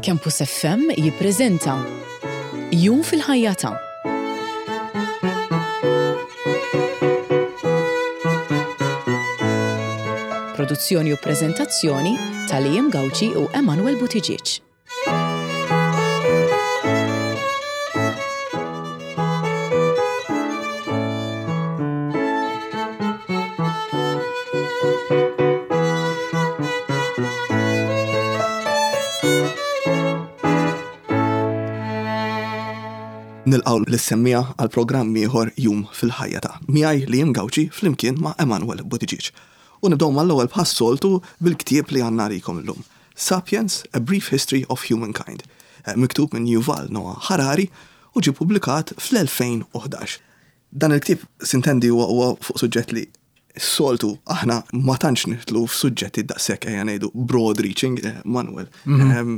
Campus FM jippreżenta Jum fil-ħajja ta' Produzzjoni u preżentazzjoni ta' Liam Gauci u Emanuel Buttigieg. Nilqgħu lis-semmiegħa għal programm ieħor Jum fil-Ħajja ta' miegħi Liam Gauci flimkien ma' Emanuel Buttigieg. U nibdew mal-ewwel bħas-soltu bil-ktieb li għandna għalikom illum. Sapiens, A Brief History of Humankind, miktub minn Yuval Noah Harari u ġie ppubblikat fl-2011. Dan il-ktieb, sintendi, huwa huwa fuq suġġett li s-soltu aħna ma tantx nidħlu f'suġġetti daqshekk ejja ngħidu broad reaching, Manuel.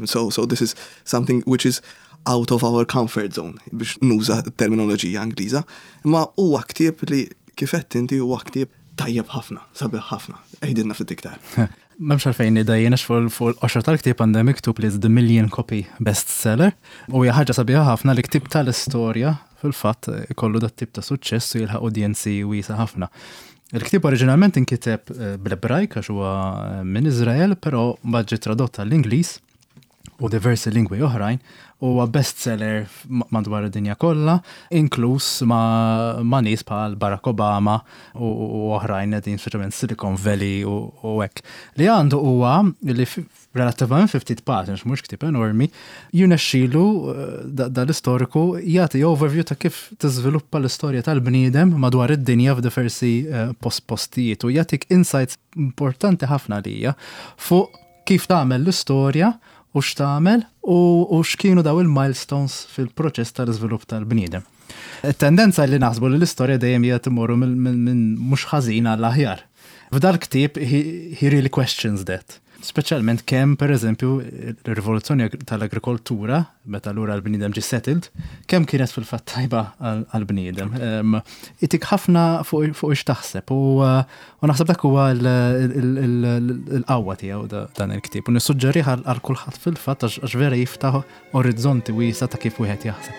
So, so this is something which is out of our comfort zone biex nuża terminoloġija Ingliża. Imma huwa ktieb li kif għedt inti huwa ktieb tajjeb ħafna, sabiħ ħafna. Għidilna ftit iktar. M'hemmx għalfejn nidha jien għax fuq il-qoxra tal-ktieb għandha miktub li the million copy bestseller u hija ħaġa sabiħa ħafna li ktieb tal-istorja fil-fatt ikollu dat-tip ta' suċċess u jilħaq udjenzi wiesgħa ħafna. Il-ktieb oriġinalment inkiteb eh, bl-Ebrajk għax huwa eh, minn Iżrael, però mbagħad ġie tradott għall-Ingliż u diversi lingwi oħrajn, huwa bestseller madwar id-dinja kollha, inkluż ma', ma nies bħal Barack Obama u, u oħrajn qegħdin speċjalment Silicon Valley u, u hekk. Li għandu huwa li relattivament fi ftit paġni, għax mhux ktieb enormi, jirnexxilu eh, dal-istoriku jagħti overview ta' kif tiżviluppa l-istorja tal-bniedem madwar id-dinja f'diversi eh, post postijiet u jagħtik insights importanti ħafna lija fuq kif tagħmel l-istorja u x'tagħmel u, u x'kienu daw il-milestones fil-proċess tal-iżvilupp tal-bniedem. It-tendenza li naħsbu li l-istorja dejjem hija timorru minn mhux ħażin għall aħjar. F'dal-ktieb he, he really questions that. Speċjalment kemm pereżempju r-rivoluzzjoni tal-agrikoltura, meta lura l-bniedem ġie settled, kemm kienet fil-fatt tajba għall-bniedem. Itik ħafna fuq x'taħseb u U naħseb dak huwa l-qawwa tiegħu dan il-ktieb. U nissuġġerih għal kulħadd fil-fatt għax vera jiftaħ orizzonti wiesa' ta' kif wieħed jaħseb.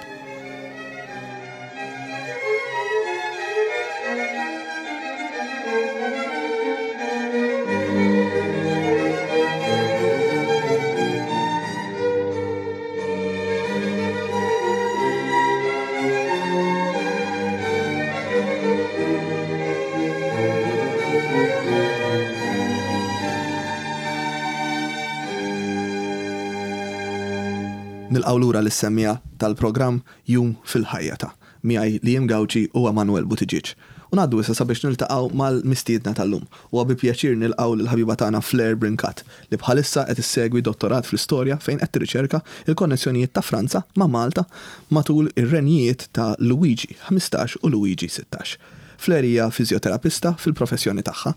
Nilqgħu lura lis-semmiegħa tal-programm Jum fil-Ħajja ta' miegħi Liam Gauci u Emanuel Buttigieg. U ngħaddu issa sabiex niltaqgħu mal-mistiedna tal-lum. Huwa bi pjaċir nilqgħu lill-ħabiba tagħna Fleur Brincat li bħalissa qed issegwi dottorat fl-istorja fejn qed tirriċerka l-konnessjonijiet ta' Franza ma' Malta matul ir-renjijiet ta' Luwiġi 15 u Luwiġi 16. Fleur hija fiżjoterapista fil-professjoni tagħha.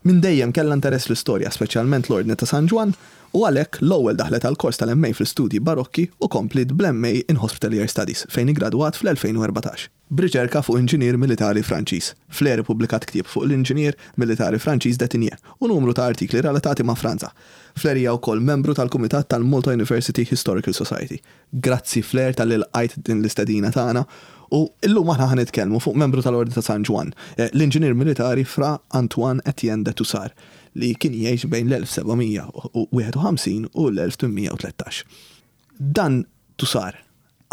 Minn dejjem kellha interess fl-istorja, speċjalment l-Ordni ta' San Ġwann, u għalhekk l-ewwel daħlet għall-kors tal-MA fl-Istudji Barokki u kompliet bl-MA in Hospitalier Studies fejn iggradwat fl-2014. B'riċerka fuq inġinier militari Franċiż, Fleur ippubblikat ktieb fuq l-inġinier militari Franċiż de Tigné u numru ta' artikli relatati ma' Franza. Fleur hija wkoll membru tal-kumitat tal-Malta University Historical Society. Grazzi Fleur talli lqajt din l-istedina tagħna u llum aħna ħa nitkellmu fuq membru tal-Ordni ta' San Ġwann, l-inġinier militari Fra Antoine Etienne de Tousart li kien jgħix bejn l-1751 u l-1813. Dan Tousart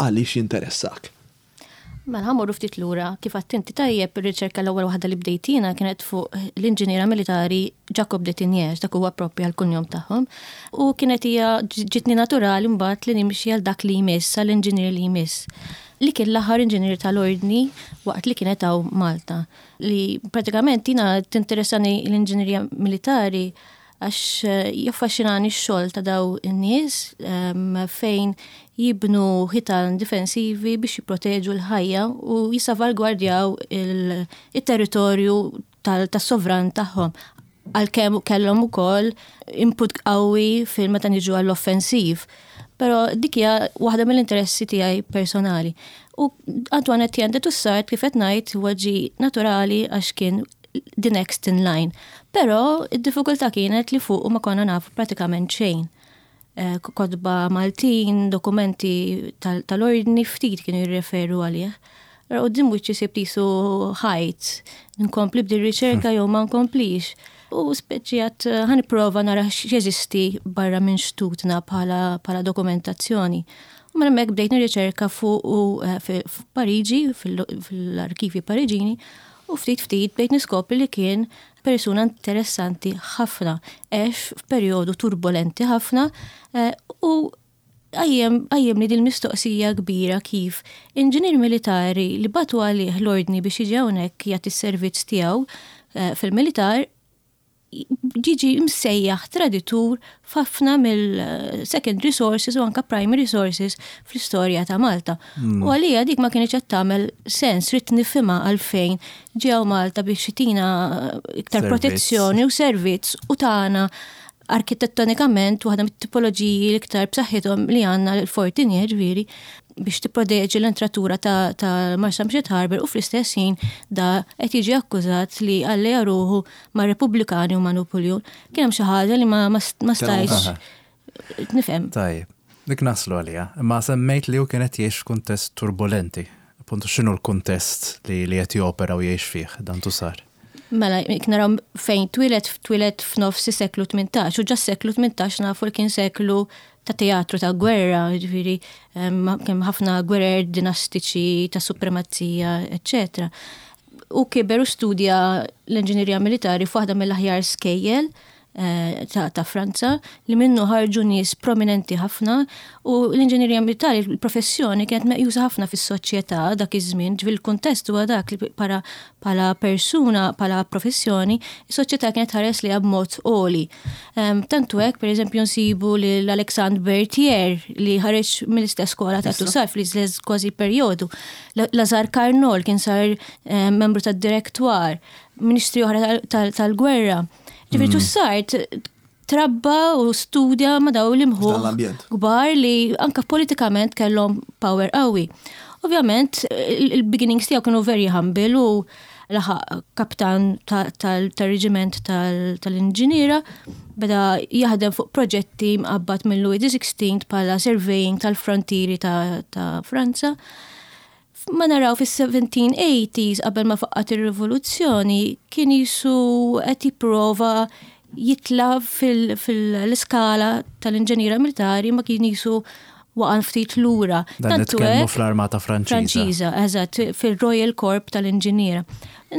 għaliex jinteressak? Mela ħa mmorru ftit lura, kif għedt inti tajjeb, ir-riċerka l-ewwel waħda li bdejt jiena kienet fuq l-inġiniera militari Jacob de Tigné, dak huwa proprju għall-kunjom tagħhom. U kienet hija ġitni naturali mbagħad li nimxi għal dak li jmiss, għall-inġinier li jmiss, li kien l-aħħar inġinier tal-ordni waqt li kienet hawn Malta. Li pratikament jiena tinteressani l-inġinerija militari Għax jaffaxxinani x-xogħol ta' daw in-nies fejn jibnu ħitan difensivi biex jipproteġu l-ħajja u jissavalgwardjaw it-territorju tas-sovran tagħhom. Għalkemm kellhom ukoll input qawwi fil meta niġu għall-offensiv. Però dik hija waħda mill-interessi tiegħi personali. U Antoine Etienne de Toussaint kif qed ngħid huwa ġie naturali għax kien the next in line. Però id-diffikultà kienet li fuqu ma konna nafu pratikament xejn. Kotba Maltin, dokumenti tal-ordni ftit kienu jirreferu għalih. Ra quddiem wiċċi sibt qisu ħajt, nkompli b'din riċerka jew ma nkomplix. U speċi għat ħa nipprova nara x'jeżisti barra minn xtutna bħala dokumentazzjoni. U minn hemmhekk bdejt nirriċerka fuq f'Pariġi, fil-arkivi Pariġini, u ftit ftit bdejt niskopri li kien persuna interessanti ħafna, għex f'perjodu turbolenti ħafna u qajjem li dil-mistoqsija kbira kif inġinier militari li bagħtu għalih l-ordni biex jiġi hawnhekk jagħti s-servizz tiegħu fil-militar jiġi msejjaħ traditur f'ħafna mill-secondary sources u anka primary sources fl-istorja ta' Malta. U għalija dik ma kienx qed tagħmel sens, ridt nifhimha għalfejn ġew Malta biex jtina iktar protezzjoni u servizz u tagħna arkitettonikament waħda mit-tipoloġiji l-iktar b'saħħithom li għandna l-Fortinier ġifieri biex tipproteġi l-entratura ta', ta Marsamxett Harbour u fl-istess ħin da qed jiġi akkużat li alleja ruħu ma' Repubblikani u ma' Napoleon. Kien hemm xi ħaġa li ma, ma, ma stajtx nifhem. Tajjeb, dik naslu għaliha. Imma semmejt li hu kien qed jgħix f'kuntest turbolenti. Appuntu x'inhu l-kuntest li li qed jopera u jgħix fih dan Toussaint? Mela, jekk naraw fejn twieled, twieled f'nofs is-seklu 18, u ġa s-seklu 18 nafu li kien seklu ta' teatru ta' gwerra, ġifieri kemm ħafna gwerer dinastiċi ta' supremazija, eċċetera. U kiber u studja l-inġinerija militari f'waħda mill-aħjar skejjel ta', ta Franza li minnu ħarġu nies prominenti ħafna u l-inġinerija militari, il-professjoni kienet meqjusa ħafna fis-soċjetà dak iż-żmien, ġifieri l-kuntest huwa dak li para bħala persuna, bħala professjoni, is-soċjetà kienet tħares lejha b'mod għoli. Tantu hekk, pereżempju, nsibu lil Alexandre Berthier li ħareġ mill-istess skola ta' Toussaint fl-istess kważi perjodu. Lazare Carnot kien sar membru tad-Directoire, ministri oħra tal-gwerra. Ġifieri Toussaint trabba u studja ma' daw l-imħuħ kbar li anka politikament kellhom power qawwi. Ovvjament, il-beginnings tiegħu kienu very humble u laħaq kaptan tal-reġiment tal-inġiniera, beda jaħdem fuq proġetti mqabbad minn Louis XVI bħala surveying tal-frontieri ta' Franza. Ma naraw fis-1780s qabel ma faqqat ir-rivoluzzjoni kien jisu qed jipprova jitla fil-iskala tal-inġeniera militari ma kien jisu waqa' ftit lura. Dan nitkellmu fl-Armata Franċiża. Franċiża, eżatt, fil-Royal Corps tal-Inġiniera.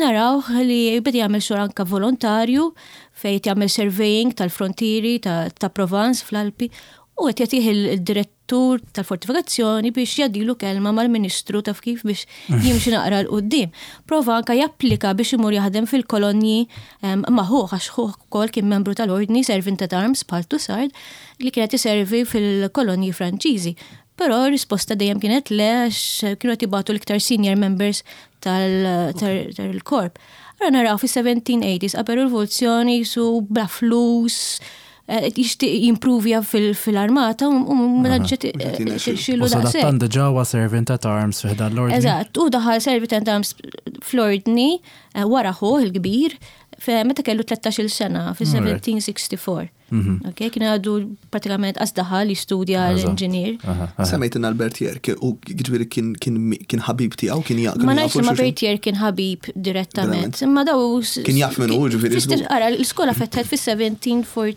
Naraw li beda jagħmel xogħol anka volontarju fejn jagħmel surveying tal-frontieri ta' Provence fl-Alpi u qed jagħtih il-dirett tur tal-fortifikazzjoni biex jgħaddilu kelma mal-Ministru taf kif biex jimxi naqra 'l quddiem. Prova anka japplika biex imur jaħdem fil-kolonji ma' ħuh għax ħuh ukoll kien membru tal-Ordni Servant at Arms bħal Toussaint li kien qed iservi fil-kolonji Franċiżi. Però r-risposta dejjem kienet le għax kienu qed jibagħtu l-iktar senior members tal-korp. Allura naraw fis-1780s qabel ir-rivoluzzjoni qisu bla flus, jixtieq jimpruvja fil-armata u mela ġiet xilu daqshekk. U sadattant diġà huwa servant at arms fi ħdan l-ordni. Eżatt, u daħal servant at arms fl-ordni wara ħuh il-kbir meta kellu 13-il sena fis-1764. Ok, kien għadu pratikament qas daħal jistudja l-inġinier. Semmejt Bertier, u ġifieri kien ħabib tiegħu, kien jaqgħu. Ma ngħidx li ma Bertier kien ħabib direttament, imma daw. Kien jaf minnu, ġifieri. Ara, l-iskola fetħet fis-1748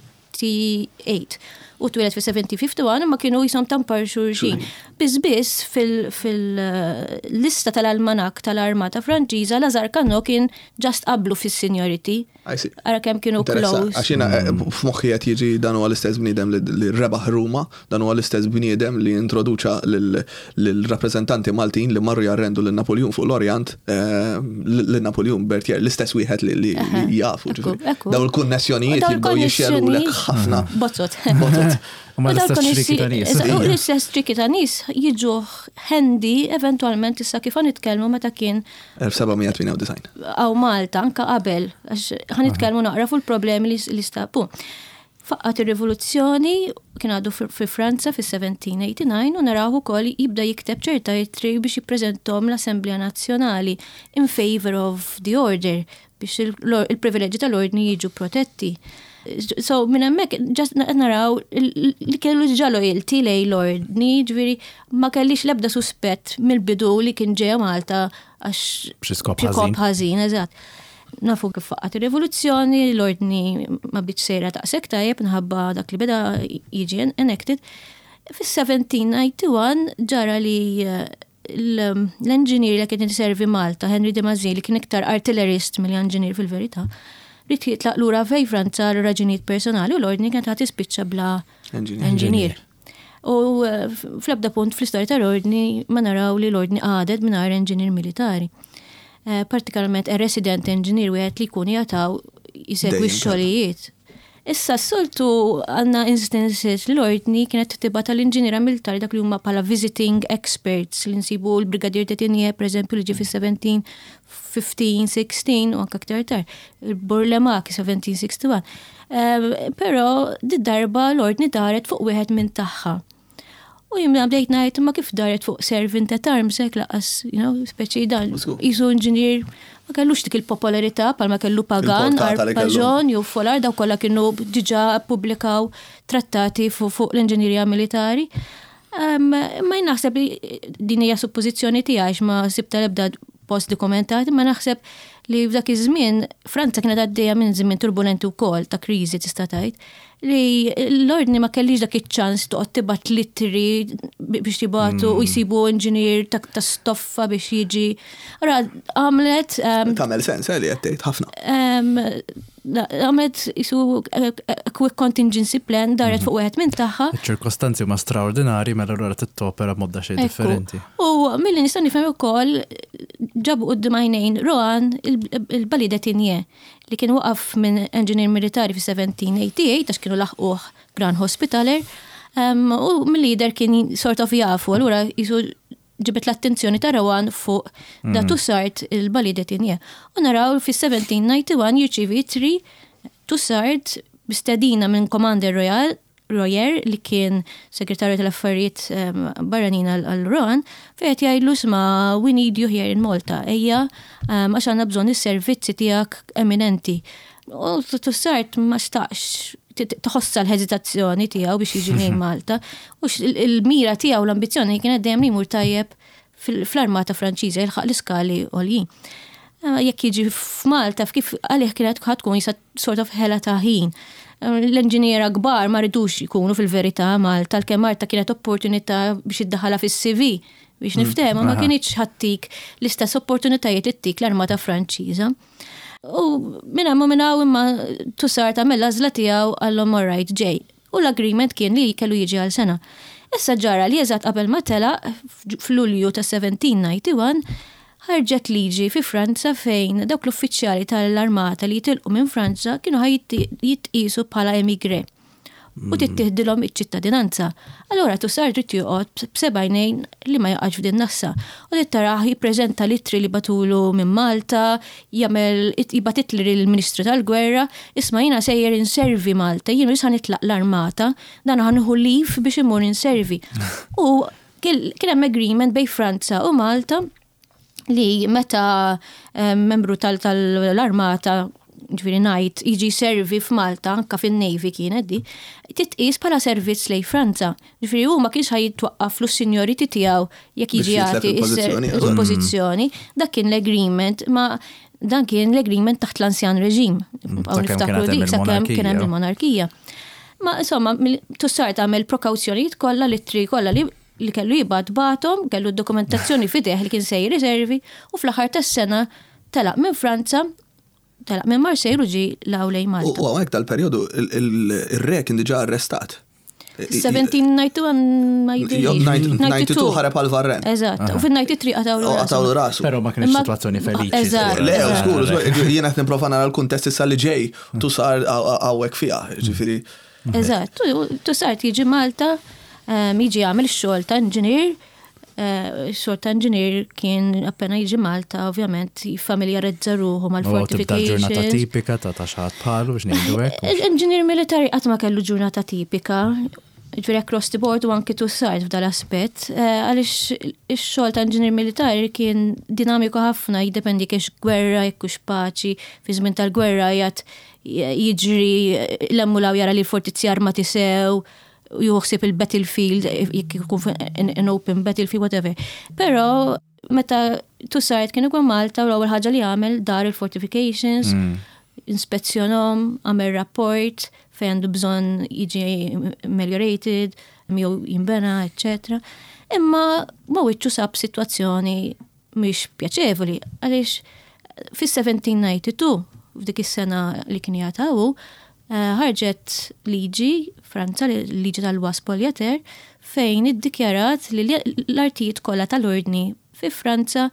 u twieled fis-1751 imma kienu jisom tampar xulxin. Biss biss fil-lista tal-almanak tal-Armata Franċiża Lazar Carnot kien just qablu fis-seniority. Ara kemm kienu close. Għax jiena f'moħħi qed jiġi dan huwa l-istess bniedem li rebaħ Ruma, dan huwa l-istess bniedem li introduċa lill-rappreżentanti Maltin li marru jarrendu lil Napoljun fuq l-Orjant, lil Napoljun Berthier, l-istess wieħed li jafu. Dawn il-kunnessjonijiet jibdew jixxerulek ħafna. Bozzot. Bozzot. U l-istess ċriki ta' nies. U l-istess ċriki ta' nies jiġu handy eventualment issa kif nitkellmu meta kien 1798. Għaw Malta, anka qabel, għax ħa nitkellmu naqra fuq il-problemi li stabu. Faqqat ir-rivoluzzjoni kien għadu fi Franza fi-1789 u naraw ukoll jibda jikteb ċerta ittri biex jippreżentom l-Assemblea Nazzjonali in favor of the order biex il-privileġġi tal-ordni jiġu protetti. So minn hemmhekk just qed naraw li kellu diġà loyalty lejn l-ordni, ġifieri ma kellix l-ebda suspett mill-bidu li kien ġejja Malta għax B'xi skop ħażin. ħażin, eżatt. Nafu kif faqqat ir-rivoluzzjoni, l-ordni ma bdietx sejra daqshekk tajjeb minħabba dak li beda jiġi enacted. Fis-1791 ġara li l-engineer li kien servi Malta, Henry de Mazzini, li kien iktar artillerist milli engineer fil-verità, ried jitlaq lura fejn Franza għal raġunijiet personali u l-ordni kienet ħa tispiċċa bla engineer. U fl-ebda punt fl-istorja tal-ordni ma naraw li l-ordni għadet mingħajr engineer militari. Partikolarment a resident engineer, wieħed li jkun jataw jisegwi x-xogħlijiet. Issa s-soltu għandna instances li l-ordni kienet tibgħat tal-inġiniera militari, dak li huma bħala visiting experts, li nsibu l-Brigadier de Tinier, per eżempju, li ġie fis-17, 15, 16 u anke aktar tard, il-Bourlamaque 1761. Però di darba l-ordni daret fuq wieħed minn tagħha. U jien bdejt ngħid, ma kif daret fuq servant at arms hekk laqas, speċi dan jisu inġinier ma kellux dik il-popolarità palma kellu Pagan, Arpajon, jew Folard, daw kollha kienu diġà ppubblikaw trattati fuq l-inġinierija militari. Ma naħseb li din hija suppożizzjoni tiegħi, ma sibta l-ebda post dokumentati, ma naħseb li f'dak iż-żmien Franza kienet għaddejja minn żmien turbulenti wkoll ta' kriżi, tista' tgħid li l-ordni ma kellix dak iċ-ċans toqgħod tibgħat littri biex jibgħatu u jsibu inġinier ta' stoffa biex jiġi. Ara għamlet Tagħmel sens li qed tgħid ħafna. Għamlet jisu a quick contingency plan, daret fuq wieħed minn tagħha. Iċ-ċirkostanzi huma straordinari, mela allura tittopera b'mod xejn differenti. U milli nista' nifhem ukoll, ġabu quddiem għajnejn Rohan il-Bailli de Tinier, li kien waqaf minn engineer militari fi 1788 għax kienu laħquh Grand Hospitaller. U mill-lider kien sort of jafu, allura jisu ġibet l-attenzjoni ta' Rohan fuq da Tousart, il-Bailli de Tinier. U naraw fi 1791 jirċivi ittri Tousart bistedina minn Commander Royal Royer, li kien segretarju tal-affarijiet barranin għal Rohan, fejn jgħidlu, "Isma', we need you here in Malta, ejja, għax għandna bżonn is-servizzi tiegħek eminenti." U Tousart ma xtaqx, tħossa l-hesitazzjoni tiegħu biex jiġi lejn Malta. U il-mira tiegħu, l-ambizzjoni kienet dejjem li jmur tajjeb fl-armata Franċiża, jilħaq l-iskali għoljin. Jekk jiġi f'Malta, f'kif għalih kienet tkun jisa sort of ħela ta' ħin. L-inġiniera kbar ma ridux jkunu fil-verità Malta, l Malta kienet opportunità biex iddaħala fis-CV, biex niftehmu, ma kienx ħa ttik l-istess opportunitajiet li ttik l-armata Franċiża. U minna ma minna imma Tousart għamel l-għażla tiegħu, għallhom, "Alright, ġej." U l-agreement kien li kellu jiġi għal sena. Issa ġara li eżatt qabel ma telaq, f'Lulju ta' 1791, ħarġet liġi fi Franza fejn dawk l-uffiċjali tal-armata li jitilqu minn Franza kienu ħa jitqisu bħala emigré u tittieħdilhom iċ-ċittadinanza. Allora Tousart irid joqgħod b'sebgħinejn li ma jaqax f'din nassa. U li taraħ jippreżenta littri li bagħtulu minn Malta, jagħmel jibgħat ittri lill-Ministru tal-Gwerra, "Isma', jiena sejjer inservi Malta, jien issa nitlaq l-armata, dan ħa nieħu leave biex imur inservi." U kien hemm agreement bejn Franza u Malta li meta membru tal-armata, ġifieri ngħid, jiġi servi f'Malta, anka fin-Navy kienet di, titqis bħala servizz lejn Franza. Ġifieri hu ma kienx ħa jitwaqqaf l-seniority tiegħu jekk jiġi jagħti il-pożizzjoni. Dak kien l-agreement, ma dan kien l-agreement taħt l-Ancien Régime. Niftakru dik sakemm kien hemm il-monarkija. Ma insomma, Tousart għamel prekawzjonijiet kollha, l-ittri kollha li kellu jibgħat bagħathom, kellu d-dokumentazzjoni f'idejh li kien sejjer iservi, u fl-aħħar tas-sena telaq minn Franza, telaq minn Marseille u ġi lejn Malta. U hawnhekk tal-perjodu il-re kien diġà arrestat. 1791 ma jidhirlix. 92 ħareb għal Varennes. Eżatt, u fil-93 qatgħulu Qatgħulu rasu. Però ma kienx situazzjoni feliċi. Eżatt. Le, skur, jiena qed nipprova nara l-kuntest issa li ġej Tousart hawnhekk fiha, ġifieri. Eżatt, Tousart jiġi Malta, jiġi għamel xogħol ta' inġinier, xogħol ta' inġinier kien appena jiġi Malta, ovvjament, jiffamiljarizza ruħu mal-fortifications. Ġurnata tipika ta' xi ħadd bħalu, biex ngħidu hekk. Inġinier militari qatt ma kellu ġurnata tipika, ġifieri across the board u anki Tousart f'dal-aspett, għaliex ix-xogħol ta' inġinier militari kien dinamiku ħafna, jiddependi kiex gwerra, jekk hux paċi, fi żmien tal-gwerra jgħat. jiġri l-emmulaw jara li l-fortizzi armati sew, juħsib il-battlefield, jekk ikun an open battlefield, whatever. Pero meta Toussaint kien ikun Malta u l-ewwel ħaġa li għamel dar il-fortifications, inspezzjonhom, għamel rapport fejn għandu bżonn jiġi ameliorated, jew jinbena, eccetera. Imma ma wiċċu sab sitwazzjoni mhix pjaċevoli għaliex fis-1792 f'dik is-sena li kien jagħtawu ħarġet liġi Franza, liġi tal-loi spoliateur, fejn iddikjarat li l-artijiet kollha tal-ordni fi Franza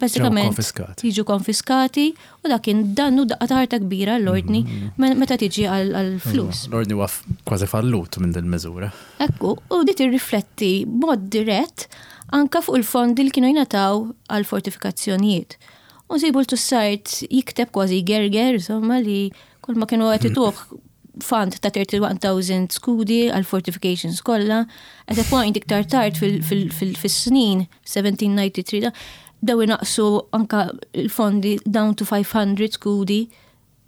bażikament jiġu konfiskati u dak kien dannu daqqa ta' ħarta kbira l-ordni meta tiġi għall-flus. L-ordni huwa kważi fallut minn din miżura. Ekku, u di tirrifletti b'mod dirett anka fuq il-fondi li kienu jingħataw għal fortifikazzjonijiet. U nsibu l-Toussaint jikteb kważi gerger, insomma, li kull ma kienu qed ituh fund ta' 31,000 skudi għal fortifications kollha. At a point iktar tard fis-snin 1793 da, daw inaqsu anka il-fondi down to 500 skudi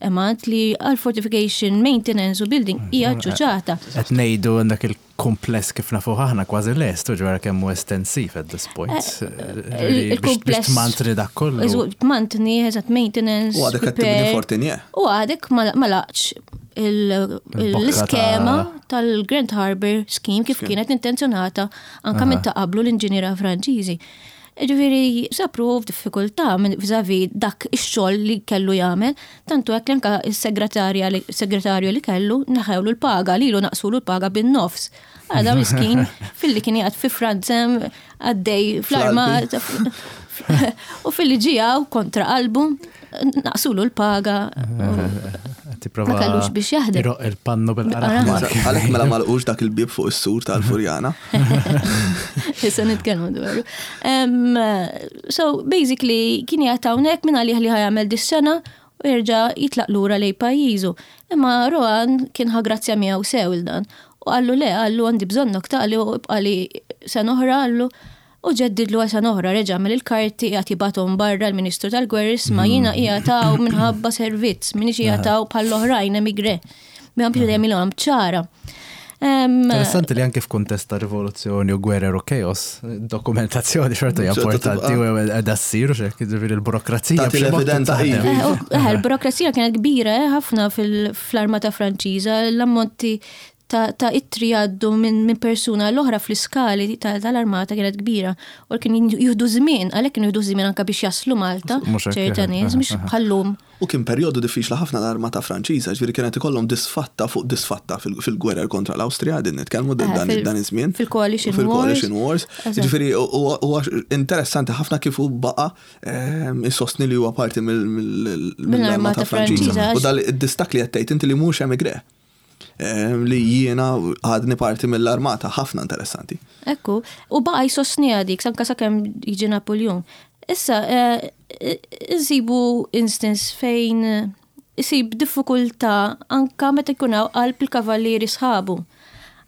amount li għal fortification maintenance u building hija ċuċata. Qed ngħidu għandek il-kumpless kif nafu aħna kważi lest, u ġwara kemm hu estensiv at this point. Il-kumpless. Biex tmantni dak kollu. Tmantni, eżatt maintenance. U għadek qed tibni fortinje. U għadek ma laqx l-iskema tal-Grand Harbour Scheme kif kienet intenzjonata anka minn ta' qablu l-inġiniera Franċiżi. Ġifieri sapru f'diffikultà minn vis-à-vis dak ix-xogħol li kellu jagħmel, tantu hekk li anke s-segretarja li segretarju li kellu neħewlu l-paga, lilu naqsulu l-paga bin-nofs. Għada miskin filli kien jgħad fi Franza għaddej fl-armata u filli ġijaw kontra qalbu naqsulu l-paga. Tipprova Ma kellux biex jaħdem. Iroq il-pannu bil-qaraħ. Għalhekk mela malqux dak il-bib fuq is-sur tal-Furjana. Issa nitkellmu dwaru. So basically kien jgħat hawnhekk minn għalih li ħajamel dis-sena u jerġa' jitlaq lura lej pajjiżu. Imma Rohan kien ħa grazzja miegħu sew il dan. U qallu le, qallu għandi bżonnok taqli u ibqali sena oħra qallu u ġeddidlu għal sena oħra reġa' għamel il-karti qiegħed jibgħathom barra l-Ministru tal-Gwerra isma' jiena qiegħed hawn minħabba servizz, m'iniex qiegħed hawn bħall-oħrajn emigre. Biex dejjem ilhom ċara. Interessanti li anke f'kuntest ta' rivoluzzjoni u gwerer u chaos, dokumentazzjoni xorta hija importanti u qiegħda ssir u xek, jiġifieri l-burokrazija. Tagħti l-evidenza ivi. Il-burokrazija kienet kbira ħafna fl-armata Franċiża, l-ammonti ta' ittri jgħaddu minn persuna l-oħra fl-iskali tal-armata kienet kbira. U kien jieħdu żmien, għalhekk kienu jieħdu żmien anke biex jaslu Malta, ċerta nies, mhux bħallum. U kien perjodu diffiċli ħafna l-armata Franċiża, ġifieri kienet ikollhom disfatta fuq disfatta fil-gwerer kontra l-Awstrija, din nitkellmu dan iż-żmien. Fil-Coalition Wars. Fil-Coalition Wars. Ġifieri huwa interessanti ħafna kif hu baqa' isostni li huwa parti mill-armata Franċiża. U dal-distak li qed tgħid inti li mhux emigre. Li jiena għadni parti mill-armata, ħafna interessanti. Ekku, u baqa jsostni dik, anka sakemm jiġi Napoleon. Issa, insibu instance fejn isib diffikultà anka meta jkun hawn qalb il-kavallieri sħabu.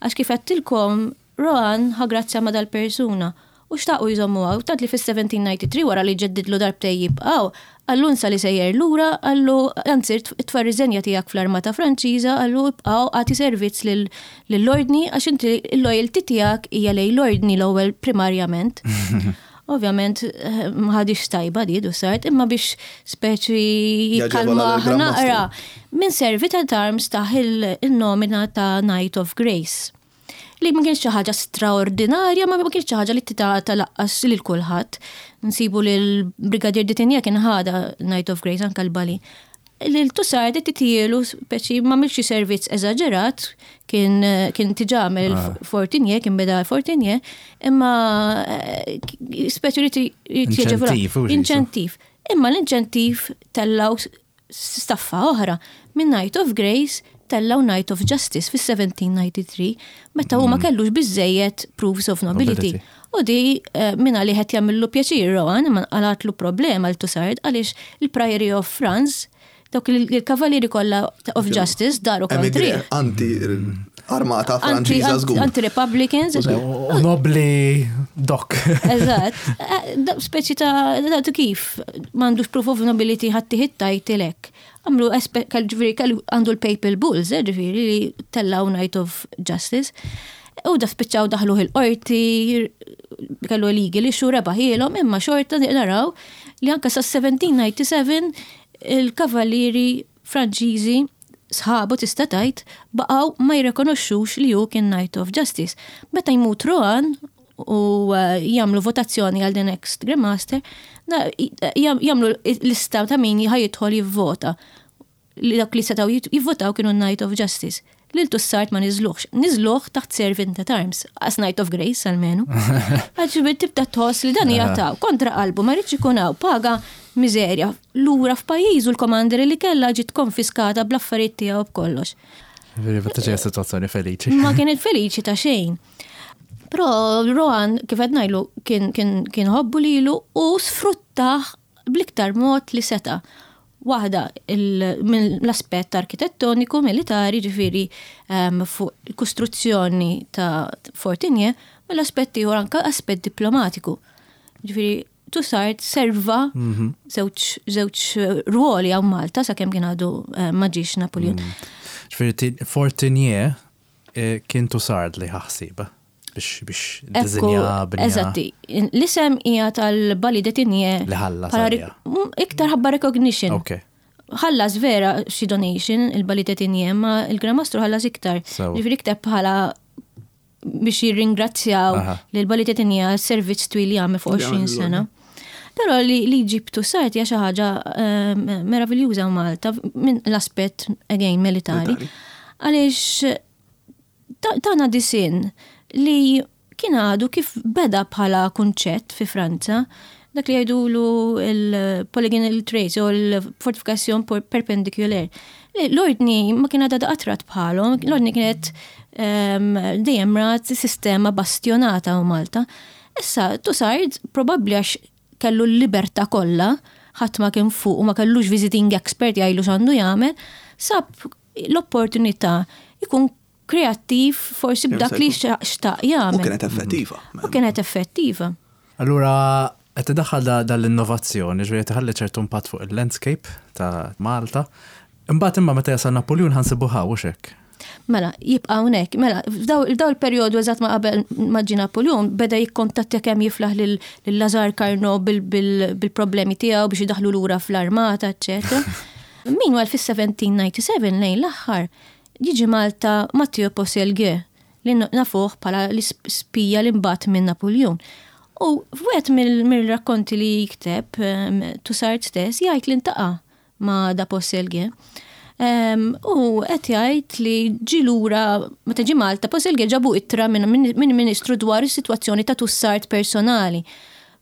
Għax kif għedtilkom, Rohan ħa grazzja ma' dal-persuna u xtaqu jżommu għaw, tant li fis-1793 wara li ġeddidlu darbtej jibqaw, qallu nsa li sejjer lura, qallu anzi tfa' riżenja tiegħek fl-armata Franċiża, qallu ibqaw għati servizz lill-ordni għax inti l-loyalty tiegħek hija lejn l-ordni l-ewwel primarjament. Ovvjament ma ħadix tajba di Toussaint, imma biex speċi jikkalma naqra. Minn Servite Arms taħ il-nomina ta' Knight of Grace. Li ma kienx xi ħaġa straordinarja, ma kienx xi ħaġa li titgħata laqqas lil kulħadd. Nsibu li l-Brigadier D'Etigny kien ħada Knight of Grace anke l-Bali. Lil Toussaint titielu speċi ma milx servizz eżaġerat, kien diġà għamel Fortinier, kien beda Fortinier, imma speċi li Inċentiv, u Inċentiv. Imma l-inċentiv tellaw staffa oħra. Minn Knight of Grace tellaw Knight of Justice fis-1793, meta hu ma kellux biżejjed proofs of nobility. U di minn għalih qed jagħmillu pjaċir Rohan, imma qalatlu problema l Toussaint għaliex il-Priory of France, dawk il-kavallieri kollha of Justice daru kontri. Anti armata Franċiża żgur. Anti-Republicans. U nobli dok. Eżatt. Speċi ta' kif m'għandux proof of nobility ħadd title hekk. Għamlu ġifieri kellu għandu l-Papal Bulls, eh, ġifieri li tellaw Knight of Justice. U da spiċċaw daħluh il-qorti, kellu legal issue rebaħielhom, imma xorta naraw li anka sa 1797 il-kavallieri Franċiżi sħabu tista' tgħid baqgħu ma jirrikonoxxux li hu kien Knight of Justice. Meta jmut Rohan u eh, jagħmlu votazzjoni għal the next Grandmaster, jagħmlu lista ta' min jidħol jivvota. Li dak li setgħu jivvotaw kienu Knight of Justice. Lil Toussaint ma niżluħx. Niżluh taħt Servant at Arms, as Knight of Grace almenu. Għax tibda tħoss li dan jataw kontra qalbu ma rridx ikun hawn paga miżerja lura f'pajjiżu l-commandery li kellha ġiet konfiskata bl-affarijiet tiegħu b'kollox. Veri, ma taġġa situazzjoni feliċi. Ma kienet feliċi ta' xejn. Però Rohan, kif qed ngħidlu, kien kien kien ħobbu lilu u sfruttah bl-iktar mod li seta'. Waħda minn l-aspett arkitettoniku militari, ġifieri fuq il-kostruzzjoni ta' Fort Tigné, mill-aspett ieħor anke aspett diplomatiku. Ġifieri Toussaint serva żewġ żewġ ruoli hawn Malta sakemm kien għadu ma ġiex Napoleon. Ġifieri Fort Tigné kien Toussaint li ħaħsiba biex biex dizinja binja. Eżatti, l-isem hija tal-Bailli de Tigné. Li ħallas bħala għaliha. Iktar ħabba recognition. Ok. Ħallas vera xi donation il-Bailli de Tigné, ma il-Gran Mastru ħallas iktar. Sewa. Ġifieri iktar bħala biex jirringrazzjaw lil Bailli de Tigné għas-servizz twil li għamel fuq Li 20 għamel sena. Però li ġib Toussaint hija xi ħaġa meraviljuża Malta minn l-aspett again militari. Militari. Għaliex tana disin li kien għadu kif beda bħala kunċett fi Franza, dak li jgħidulu il-polygonal trace u l-fortification perpendiculaire. L-ordni ma kien għadha qatrat bħalhom, l-ordni kienet dejjem rat sistema bastionata u Malta. Issa, Toussaint probabbli għax kellu l-libertà kollha, ħadd ma kien fuq u ma kellux visiting expert jgħidlu x'għandu jagħmel, sab l-opportunità jkun kreattiv forsi b'dak li xtaq U jagħmel. kienet effettiva. U kienet effettiva. Allura, qed idaħħal dal-innovazzjoni, ġifieri qed iħalli ċertu impatt fuq il-landscape ta' Malta. Imbagħad imma meta jasal Napoleon ħa nsibu ħaw hekk. Mela, jibqa' hawnhekk. Mela, f'daw il-perjodu eżatt ma qabel ma ġie Napoleon beda jikkontattja kemm jiflaħ lil Lazare Carnot bil-problemi tiegħu biex idaħlu lura fl-armata, eċċetera. Meanwhile fis-1797 lejn l-aħħar jiġi Malta Matteo Peaucellier li nafuh bħala l-ispija li mbagħad minn Napoleon. U f'wieħed mill-rakkonti li jikteb Toussaint stess jgħid li ltaqa' ma' da Peaucellier. U qed jgħid li ġi lura meta ġi Malta Peaucellier ġabu ittra minn ministru dwar is-sitwazzjoni ta' Toussaint personali.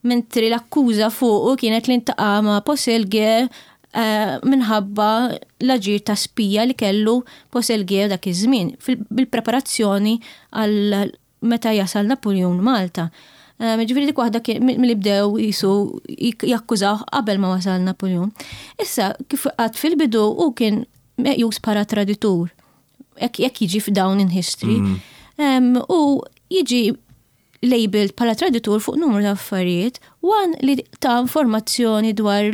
Mentri l-akkuża fuqu kienet li ltaqa' ma' Peaucellier minħabba l-aġir ta' spija li kellu Peaucellier dak iż-żmien bil-preparazzjoni għal meta jasal Napoleon Malta. Ġifieri dik waħda milli bdew jisu jakkużaw qabel ma wasal Napoleon. Issa, kif għad fil-bidu u kien meqjus bħala traditur. Jekk jiġi f'down in history. U jiġi labeled bħala traditur fuq numru ta' affarijiet, one li ta' informazzjoni dwar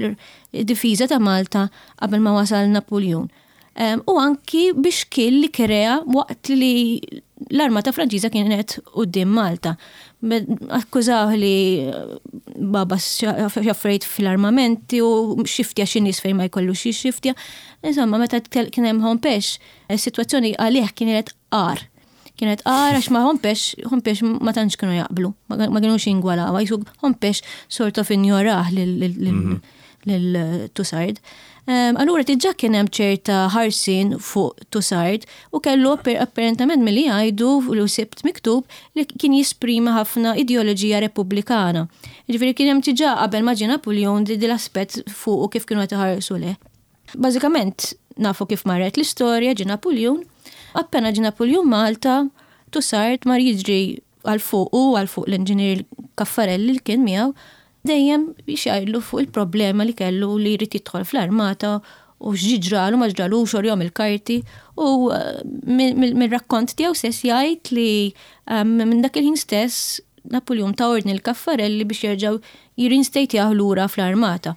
id-difiża ta' Malta qabel ma wasal Napoleon. U anki biex kien li krea waqt li l-armata Franċiża kienet quddiem Malta. Akkużaw li baba xaffrejt fil-armamenti u xiftja xi nies fejn ma jkollux xi xiftja. Insomma, meta kien hemm Hompesch, is-sitwazzjoni għalih kienet qar. Kienet qar għax ma Hompesch, Hompesch ma tantx kienu jaqblu, ma kienux jingwalaw, jisu Hompesch sort of injorah lil Toussaint. Allura diġà kien hemm ċerta ħarsin fuq Toussaint u kellu apparentament milli jgħidu u sibt miktub li kien jisprima ħafna ideoloġija repubblikana. Ġifieri kien hemm diġà qabel ma ġie Napoleon di l-aspett fuq u kif kienu qed iħarsu leh. Bażikament nafu kif marret l-istorja ġie Napoleon. Appena ġie Napoleon Malta, Toussaint mar jiġri għal fuq u għal fuq l-inġinier Caffarelli li kien miegħu dejjem biex jgħidlu fuq il-problema li kellu li jrid jidħol fl-armata u x'ġralu ma ġralux urihom il-karti u mill-rakkont tiegħu stess jgħid li minn dak il-ħin stess Napoleon ta' ordni l-Caffarelli biex jerġgħu jirrinstatejjaw lura fl-armata.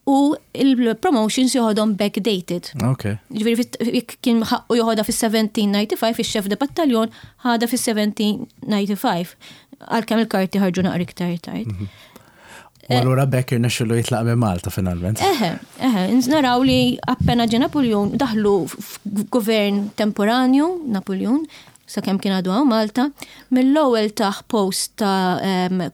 U il-promotions joħodhom backdated. Ok. Ġifieri jekk kien ħaqqu joħodha fis-1795, ix-chef de battalion ħadha fis-1795. Għalkemm il-karti ħarġu naqra iktar tard. U allura b'hekk irnexxielu jitlaq minn Malta finalment. Eħe, eħe, naraw li appena ġie Napoleon daħlu f'gvern temporanju, Napoleon, sakemm kien għadu hawn Malta, mill-ewwel tah post ta'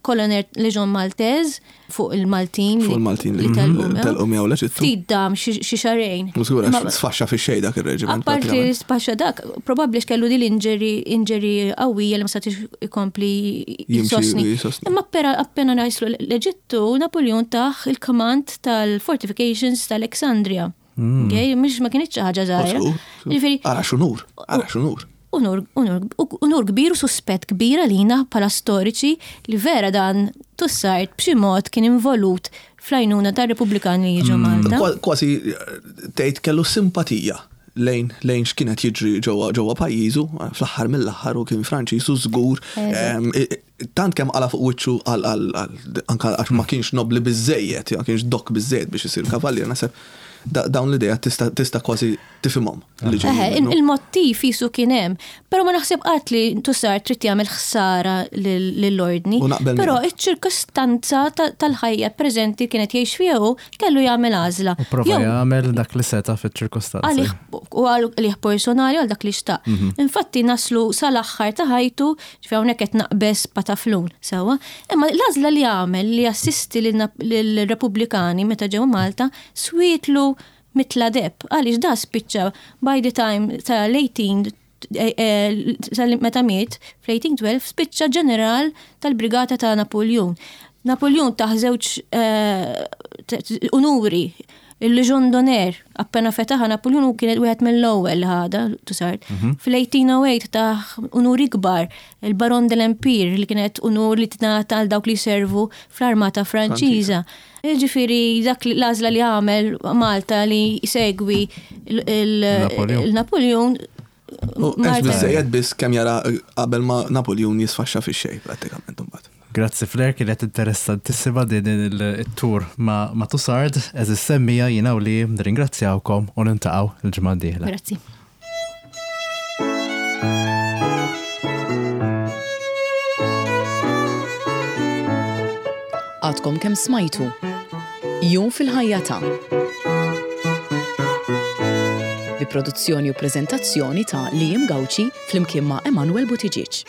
Colonel Legion Maltese fuq il-Maltin. Fuq il-Maltin li telqu miegħu l-Eġittu. Ftit dam xi xahrejn. U żgur għax sfaxxa fix-xejn dak ir-reġiment. Apparti li sfaxxa dak, probabbli għax kellu din l-injury injury qawwija li ma setax ikompli jsostni. Imma appena naslu l-Eġittu, Napoleon tah il-command tal-fortifications ta' Alexandria. Okay? Mhux ma kienx xi ħaġa żgħira. Ġifieri. Ara x'unur, ara x'unur. Unur, unur, unur kbir u suspett kbir għalina bħala storiċi li vera dan Toussaint b'xi mod kien involut fl-għajnuna tar-Repubblikani li jiġu Malta. Kważi tgħid kellu simpatija lejn lejn x'kien qed jiġri ġewwa ġewwa pajjiżu, fl-aħħar mill-aħħar hu kien Franċiż u żgur tant kemm qala' fuq wiċċu għal anke għax ma kienx nobbli biżżejjed, ma kienx dok biżżejjed biex isir kavallier, naħseb dawn l-idejat tista' kważi tifhimhom. Il-mottiv jisu kien hemm, però ma naħseb qatt li Toussaint trid jagħmel ħsara lill-ordni. Però iċ-ċirkostanza tal-ħajja preżenti kienet jgħix fiha hu kellu jagħmel għażla. U prova jagħmel dak li seta' fiċ-ċirkostanzi. Għalih u għalih personali għal dak li xtaq. Infatti naslu sal-aħħar ta' ħajtu Ġifieri hawnhekk qed naqbeż pataflun, sewwa. Imma l-għażla li għamel li jassisti lill-Repubblikani meta ġew Malta swietlu mitla deheb għaliex da spiċċa by the time tal-18 meta miet fl-1812 spiċċa ġeneral tal-brigata ta' Napuljun. Napuljun tah żewġ unuri Il-Légion d'honneur, appena fetaħha Napuljun hu kien wieħed mill-ewwel li ħadha, Toussaint. Fil-1808 tah unur ikbar, il-Baron de l'Empire, li kienet unur li tingħata għal dawk li jservu fl-armata Franċiża. Jiġifieri dak l-għażla li għamel Malta li jsegwi il-Napuljun. Għex biżżejjed biss kemm jara qabel ma Napuljun jisfaxxa fix-xejn prattikament imbagħad. Grazzi Flair, kienet interessantissima din it-tour ma' Toussaint, għeżież semmiegħa jiena u Liam nirringrazzjawkom u niltaqgħu l-ġimgħa d-dieħla. Grazzi. Għadkom kemm smajtu Jum fil-ħajja ta' bi produzzjoni u preżentazzjoni ta' Liam Gauci flimkien ma' Emanuel Buttigieg.